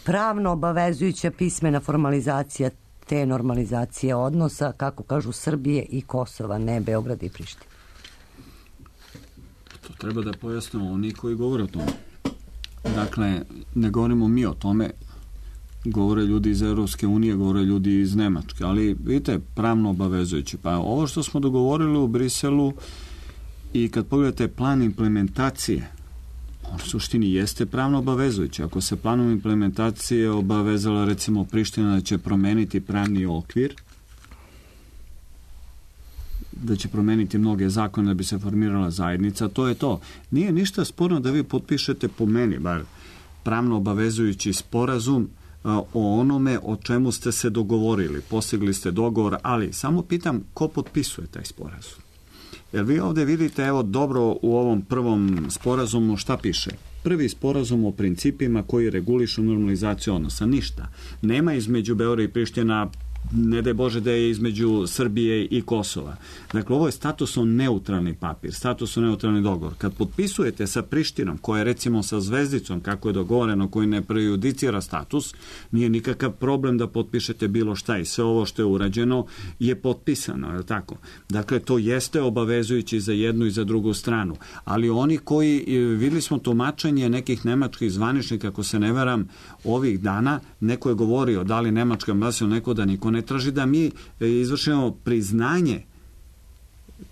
pravno obavezujuća pismena formalizacija te normalizacije odnosa, kako kažu, Srbije i Kosova, ne Beograda i Prištine? To treba da pojasnimo oni koji govore o tome. Dakle, ne govorimo mi o tome, govore ljudi iz Evropske unije, govore ljudi iz Nemačke, ali vidite, pravno obavezujući. Pa ovo što smo dogovorili u Briselu i kad pogledate plan implementacije, on u suštini jeste pravno obavezujući. Ako se planom implementacije obavezala recimo Priština da će promeniti pravni okvir, da će promeniti mnoge zakone da bi se formirala zajednica, to je to. Nije ništa sporno da vi potpišete, po meni bar, pravno obavezujući sporazum o onome o čemu ste se dogovorili. Postigli ste dogovor, ali samo pitam ko potpisuje taj sporazum. Jer vi ovde vidite, evo, dobro u ovom prvom sporazumu šta piše. Prvi sporazum o principima koji regulišu normalizaciju odnosa. Ništa. Nema između Beograda i Priština, ne daj Bože da je između Srbije i Kosova. Dakle, ovo je statusno neutralni papir, statusno neutralni dogovor. Kad potpisujete sa Prištinom, koja je recimo sa zvezdicom, kako je dogovoreno, koji ne prejudicira status, nije nikakav problem da potpišete bilo šta i sve ovo što je urađeno je potpisano, je li tako? Dakle, to jeste obavezujući za jednu i za drugu stranu. Ali oni koji, videli smo tumačenje nekih nemačkih zvaničnika, ako se ne varam, ovih dana, neko je govorio da li nemačka ambasada, neko da niko ne traži da mi izvršimo priznanje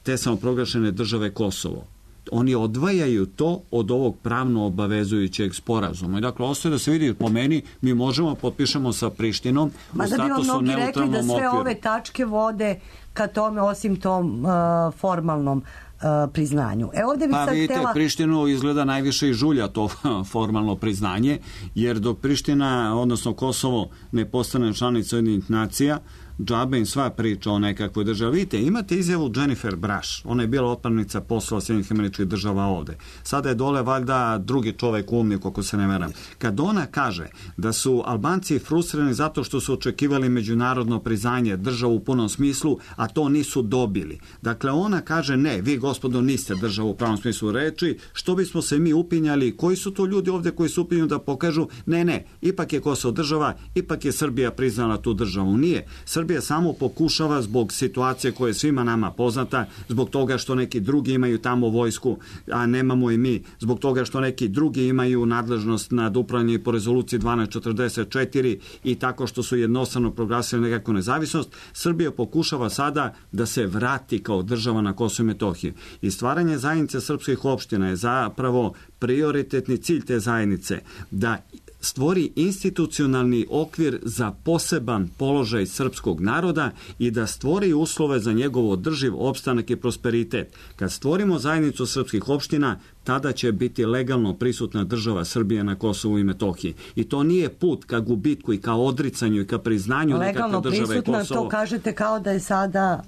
te samoproglašene države Kosovo. Oni odvajaju to od ovog pravno obavezujućeg sporazuma. I dakle, ostaje da se vidi po meni, mi možemo potpišemo sa Prištinom Ma u da bi vam statusu mnogi rekli da sve okviru. ove tačke vode ka tome, osim tom uh, formalnom uh, priznanju. E ovde bi pa sad vidite, htela... Prištinu izgleda najviše i žulja to formalno priznanje, jer dok Priština, odnosno Kosovo, ne postane članica Ujedinjenih nacija, džabe im sva priča o nekakvoj državi. Vidite, imate izjavu Jennifer Brush, ona je bila otpravnica posla Sjedinjenih Američkih Država ovde. Sada je dole valjda drugi čovek umnik, ako se ne veram. Kad ona kaže da su Albanci frustrirani zato što su očekivali međunarodno priznanje državu u punom smislu, a to nisu dobili. Dakle, ona kaže ne, vi gospodo niste državu u pravom smislu reči, što bismo se mi upinjali, koji su to ljudi ovde koji su upinju da pokažu, ne, ne, ipak je Kosovo država, ipak je Srbija priznala tu državu. Nije. Srbija samo pokušava zbog situacije koja je svima nama poznata, zbog toga što neki drugi imaju tamo vojsku, a nemamo i mi, zbog toga što neki drugi imaju nadležnost nad upravljanje po rezoluciji dvanaest četrdeset četiri i tako što su jednostavno proglasili nekakvu nezavisnost, Srbija pokušava sada da se vrati kao država na Kosovo i Metohiju. I stvaranje zajednice srpskih opština je zapravo prioritetni cilj te zajednice, da stvori institucionalni okvir za poseban položaj srpskog naroda i da stvori uslove za njegov održiv opstanak i prosperitet. Kad stvorimo zajednicu srpskih opština, tada će biti legalno prisutna država Srbije na Kosovu i Metohiji. I to nije put ka gubitku i ka odricanju i ka priznanju nekakve države Kosovo. Legalno prisutna, to kažete kao da je sada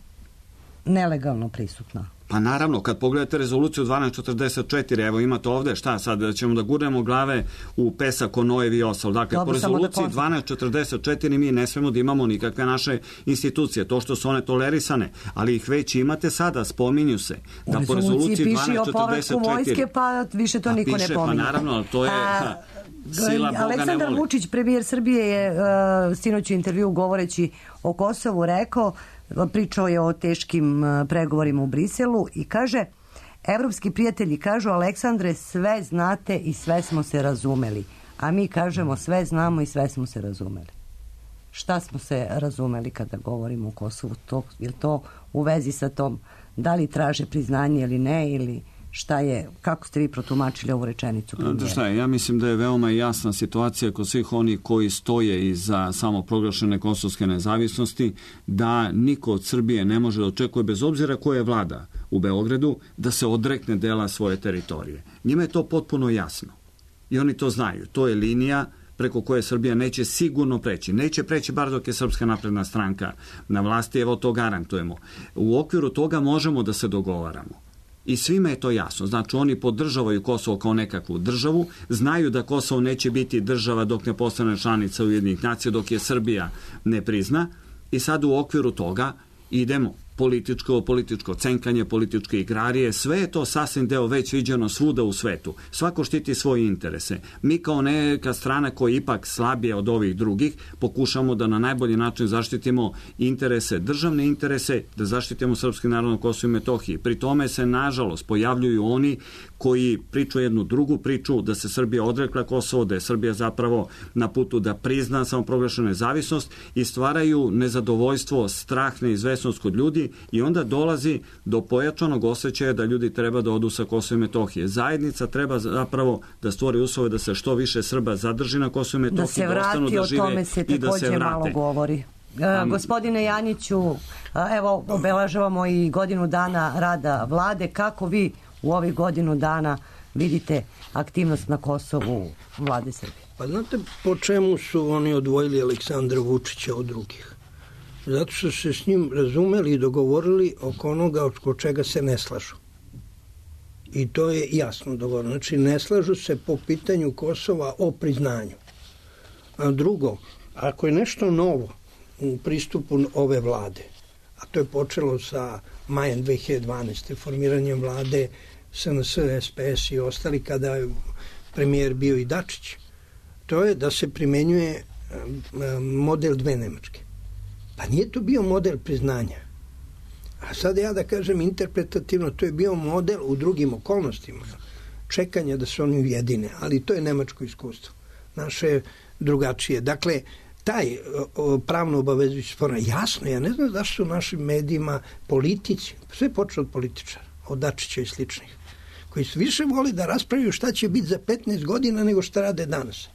nelegalno prisutna. Pa naravno, kad pogledate rezoluciju dvanaest četrdeset četiri, evo imate ovde, šta sad, ćemo da gurnemo glave u pesak o Nojevi i ostalo. Dakle, Dobro, po rezoluciji da dvanaest četrdeset četiri mi ne smemo da imamo nikakve naše institucije, to što su one tolerisane, ali ih već imate sada, spominju se. Da u po rezoluciji piše o povratku vojske, pa više to niko piše, ne pominje. Pa naravno, ali to je... Ha, sila Boga Aleksandar ne voli. Vučić, premijer Srbije, je uh, sinoć u intervju govoreći o Kosovu rekao, pričao je o teškim pregovorima u Briselu i kaže, evropski prijatelji kažu, Aleksandre, sve znate i sve smo se razumeli. A mi kažemo, sve znamo i sve smo se razumeli. Šta smo se razumeli kada govorimo o Kosovu? To, je to u vezi sa tom, da li traže priznanje ili ne, ili šta je, kako ste vi protumačili ovu rečenicu? Da šta je, ja mislim da je veoma jasna situacija kod svih onih koji stoje iza samoproglašene kosovske nezavisnosti, da niko od Srbije ne može da očekuje, bez obzira koja je vlada u Beogradu, da se odrekne dela svoje teritorije. Njima je to potpuno jasno. I oni to znaju. To je linija preko koje Srbija neće sigurno preći. Neće preći bar dok je Srpska napredna stranka na vlasti, evo to garantujemo. U okviru toga možemo da se dogovaramo. I svima je to jasno. Znači, oni podržavaju Kosovo kao nekakvu državu, znaju da Kosovo neće biti država dok ne postane članica Ujedinjenih nacija, dok je Srbija ne prizna. I sad u okviru toga idemo političko, političko cenkanje, političke igrarije, sve je to sasvim deo već viđeno svuda u svetu. Svako štiti svoje interese. Mi kao neka strana koja je ipak slabije od ovih drugih, pokušamo da na najbolji način zaštitimo interese, državne interese, da zaštitimo srpski narod na Kosovu i Metohiji. Pri tome se, nažalost, pojavljuju oni koji priču jednu drugu priču, da se Srbija odrekla Kosovo, da je Srbija zapravo na putu da prizna samoproglašenu nezavisnost i stvaraju nezadovoljstvo, strah, neizvesnost kod ljudi i onda dolazi do pojačanog osjećaja da ljudi treba da odu sa Kosova i Metohije. Zajednica treba zapravo da stvori uslove da se što više Srba zadrži na Kosovu i Metohiji, da se vrati, da da žive, o tome se takođe malo govori. Um, Gospodine Janjiću, evo obeležavamo i godinu dana rada vlade. Kako vi u ovih godinu dana vidite aktivnost na Kosovu vlade Srbije? Pa znate po čemu su oni odvojili Aleksandra Vučića od drugih? Zato što se s njim razumeli i dogovorili oko onoga oko čega se ne slažu. I to je jasno dogovoreno. Znači, ne slažu se po pitanju Kosova o priznanju. A drugo, ako je nešto novo u pristupu ove vlade, a to je počelo sa majem dve hiljade dvanaeste. formiranjem vlade S N S, S P S i ostali, kada je premijer bio i Dačić, to je da se primenjuje model dve Nemačke. Pa nije to bio model priznanja. A sad ja da kažem interpretativno, to je bio model u drugim okolnostima čekanja da se oni ujedine, ali to je nemačko iskustvo. Naše je drugačije. Dakle, taj o, pravno obavezujući spor, jasno, ja ne znam zašto su u našim medijima politici, sve počne od političara, od Dačića i sličnih, koji su više voli da raspravljaju šta će biti za petnaest godina nego šta rade danas.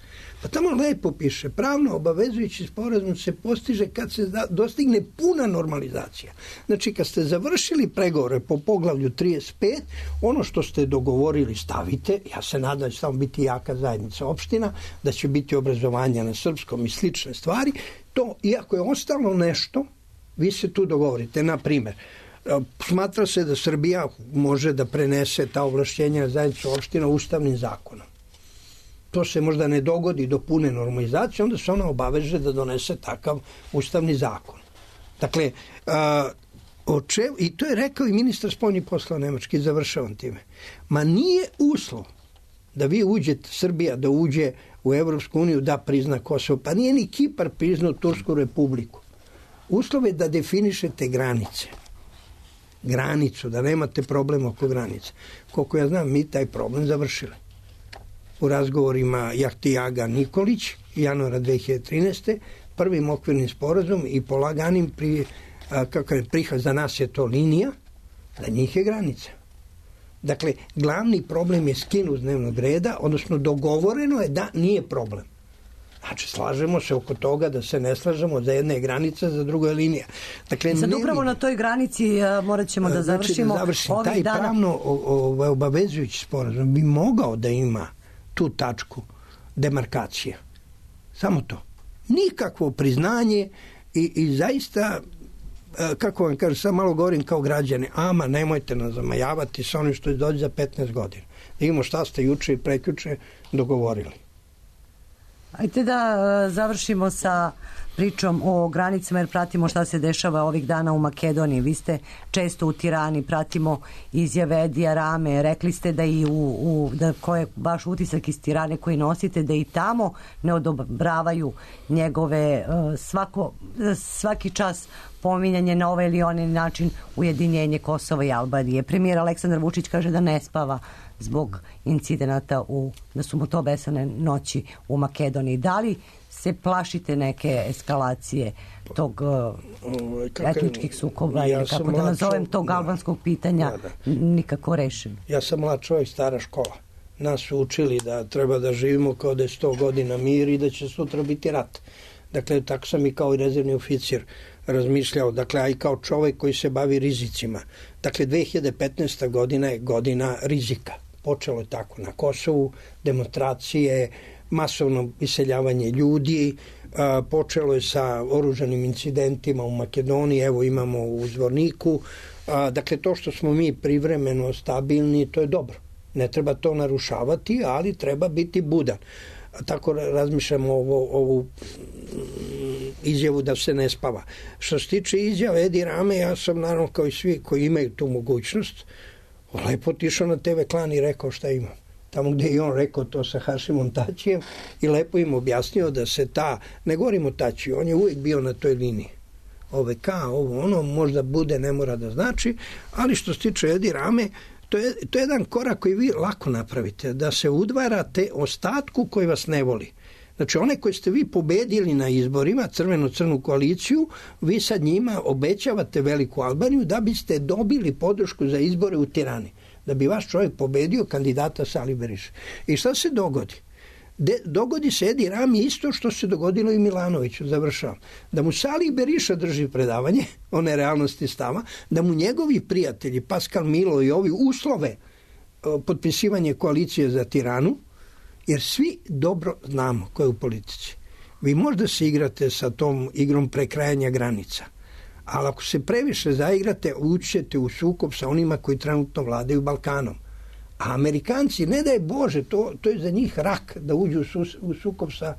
Pa tamo lepo piše, pravno obavezujući sporazum se postiže kad se dostigne puna normalizacija. Znači, kad ste završili pregovore po poglavlju trideset pet, ono što ste dogovorili stavite, ja se nadam da će tamo biti jaka zajednica opština, da će biti obrazovanje na srpskom i slične stvari, to, iako je ostalo nešto, vi se tu dogovorite. Na primer, smatra se da Srbija može da prenese ta ovlašćenja na zajednicu opština ustavnim zakonom. To se možda ne dogodi do pune normalizacije, onda se ona obaveže da donese takav ustavni zakon. Dakle, a, oče, i to je rekao i ministar spoljnih poslova Nemački, završavam time. Ma nije uslov da vi uđete, Srbija da uđe u Evropsku uniju da prizna Kosovo, pa nije ni Kipar priznao Tursku republiku. Uslov je da definišete granice. Granicu, da nemate problem oko granice. Koliko ja znam, mi taj problem završili. U razgovorima Jahtijaga Nikolić januara dve hiljade trinaeste. prvim okvirnim sporazum i polaganim pri, a, kako je prihvat, za nas je to linija, za njih je granica. Dakle, glavni problem je skinut s dnevnog reda, odnosno dogovoreno je da nije problem. Znači, slažemo se oko toga da se ne slažemo, za jedne je granica, za drugo je linija. Dakle, I sad ne upravo mi- na toj granici a, morat ćemo da Znači, završimo da završim. ovih Taj dana. pravno o- o- obavezujući sporazum bi mogao da ima tu tačku demarkacije. Samo to. Nikakvo priznanje i, i zaista, e, kako vam kažem, sad malo govorim kao građani, ama nemojte nas zamajavati sa onim što je dođe za petnaest godina. Da imamo šta ste juče i prekjuče dogovorili. Ajde da e, završimo sa pričom o granicama, jer pratimo šta se dešava ovih dana u Makedoniji. Vi ste često u Tirani, pratimo izjave Edija Rame. Rekli ste da i u, u da ko je baš utisak iz Tirane koji nosite, da i tamo ne odobravaju njegove e, svako, svaki čas pominjanje na ovaj ili onaj način ujedinjenje Kosova i Albanije. Premijer Aleksandar Vučić kaže da ne spava zbog incidenata u, da su mu to besane noći u Makedoniji. Da li se plašite neke eskalacije tog uh, etničkih sukoba ja ili sam kako da mlad nazovem čovjek, tog da. albanskog pitanja Da, nikako rešen? Ja sam mlad čovjek, stara škola. Nas su učili da treba da živimo kao da je sto godina mir i da će sutra biti rat. Dakle, tako sam i kao i rezervni oficir razmišljao, dakle, a i kao čovjek koji se bavi rizicima. Dakle, dve hiljade petnaesta godina je godina rizika. Počelo je tako na Kosovu, demonstracije, masovno iseljavanje ljudi, a, počelo je sa oružanim incidentima u Makedoniji, evo imamo u Zvorniku. A, dakle, to što smo mi privremeno stabilni, to je dobro. Ne treba to narušavati, ali treba biti budan. A tako razmišljamo ovo, ovu izjavu da se ne spava. Što se tiče izjave Edi Rame, ja sam naravno kao i svi koji imaju tu mogućnost, lepo otišao na te ve klan i rekao šta ima. Tamo gde je on rekao to sa Hašimom Tačijem i lepo im objasnio da se ta, ne govorimo o Tačiju, on je uvijek bio na toj liniji. O ve ka, ovo ono, možda bude, ne mora da znači, ali što se tiče Edi Rame, to je, to je jedan korak koji vi lako napravite, da se udvarate ostatku koji vas ne voli. Znači, one koje ste vi pobedili na izborima, crveno-crnu koaliciju, vi sad njima obećavate veliku Albaniju da biste dobili podršku za izbore u Tirani. Da bi vaš čovjek pobedio kandidata Sali Beriša. I šta se dogodi? De, dogodi se Edi Rami isto što se dogodilo i Milanoviću, završavam. Da mu Sali Beriša drži predavanje, one realnosti stava, da mu njegovi prijatelji, Paskal Milo i ovi uslove o, potpisivanje koalicije za Tiranu, jer svi dobro znamo ko je u politici. Vi možda se igrate sa tom igrom prekrajanja granica, ali ako se previše zaigrate, ućete u sukob sa onima koji trenutno vladaju Balkanom. A Amerikanci, ne daj Bože, to, to je za njih rak da uđu u, sus, u sukob sa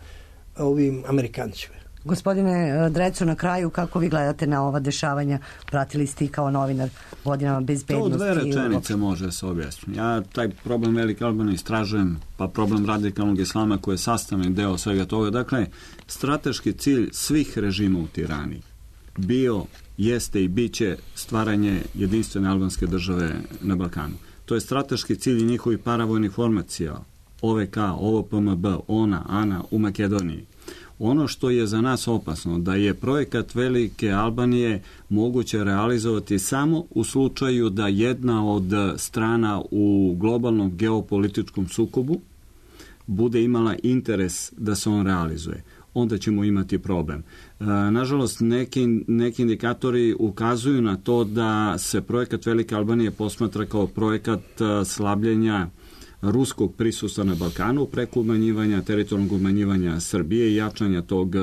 ovim Amerikancima. Gospodine Drecu, na kraju, kako vi gledate na ova dešavanja? Pratili ste i kao novinar godinama bezbednosti. To dve rečenice može se objasniti. Ja taj problem Velike Albanije istražujem, pa problem radikalnog islama koji je sastavni deo svega toga. Dakle, strateški cilj svih režima u Tirani bio, jeste i bit će stvaranje jedinstvene albanske države na Balkanu. To je strateški cilj njihovih paravojnih formacija, O ve ka, O V P M B, ona, ana u Makedoniji. Ono što je za nas opasno, da je projekat Velike Albanije moguće realizovati samo u slučaju da jedna od strana u globalnom geopolitičkom sukobu bude imala interes da se on realizuje. Onda ćemo imati problem. E, nažalost, neki, neki indikatori ukazuju na to da se projekat Velike Albanije posmatra kao projekat slabljenja ruskog prisustva na Balkanu preko umanjivanja, teritorijalnog umanjivanja Srbije i jačanja tog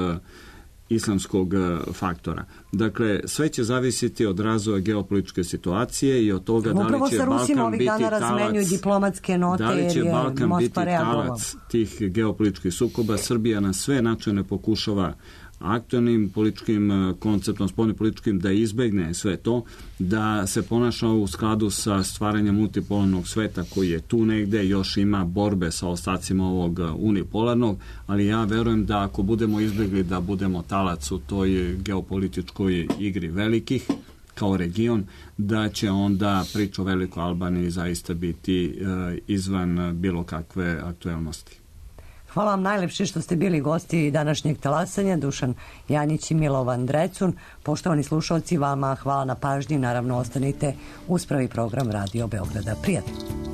islamskog faktora. Dakle, sve će zavisiti od razvoja geopolitičke situacije i od toga da li će Balkan biti talac, diplomatske note, da li će Balkan Moskva biti talac tih geopolitičkih sukoba. Srbija na sve načine pokušava aktualnim političkim konceptom, spoljnim političkim, da izbegne sve to, da se ponaša u skladu sa stvaranjem multipolarnog sveta koji je tu negde, još ima borbe sa ostacima ovog unipolarnog, ali ja verujem da ako budemo izbegli da budemo talac u toj geopolitičkoj igri velikih, kao region, da će onda priča o Velikoj Albaniji zaista biti e, izvan bilo kakve aktuelnosti. Hvala vam najlepše što ste bili gosti današnjeg talasanja, Dušan Janjić i Milovan Drecun. Poštovani slušalci, vama hvala na pažnji, naravno ostanite uz prvi program Radio Beograda. Prijatno!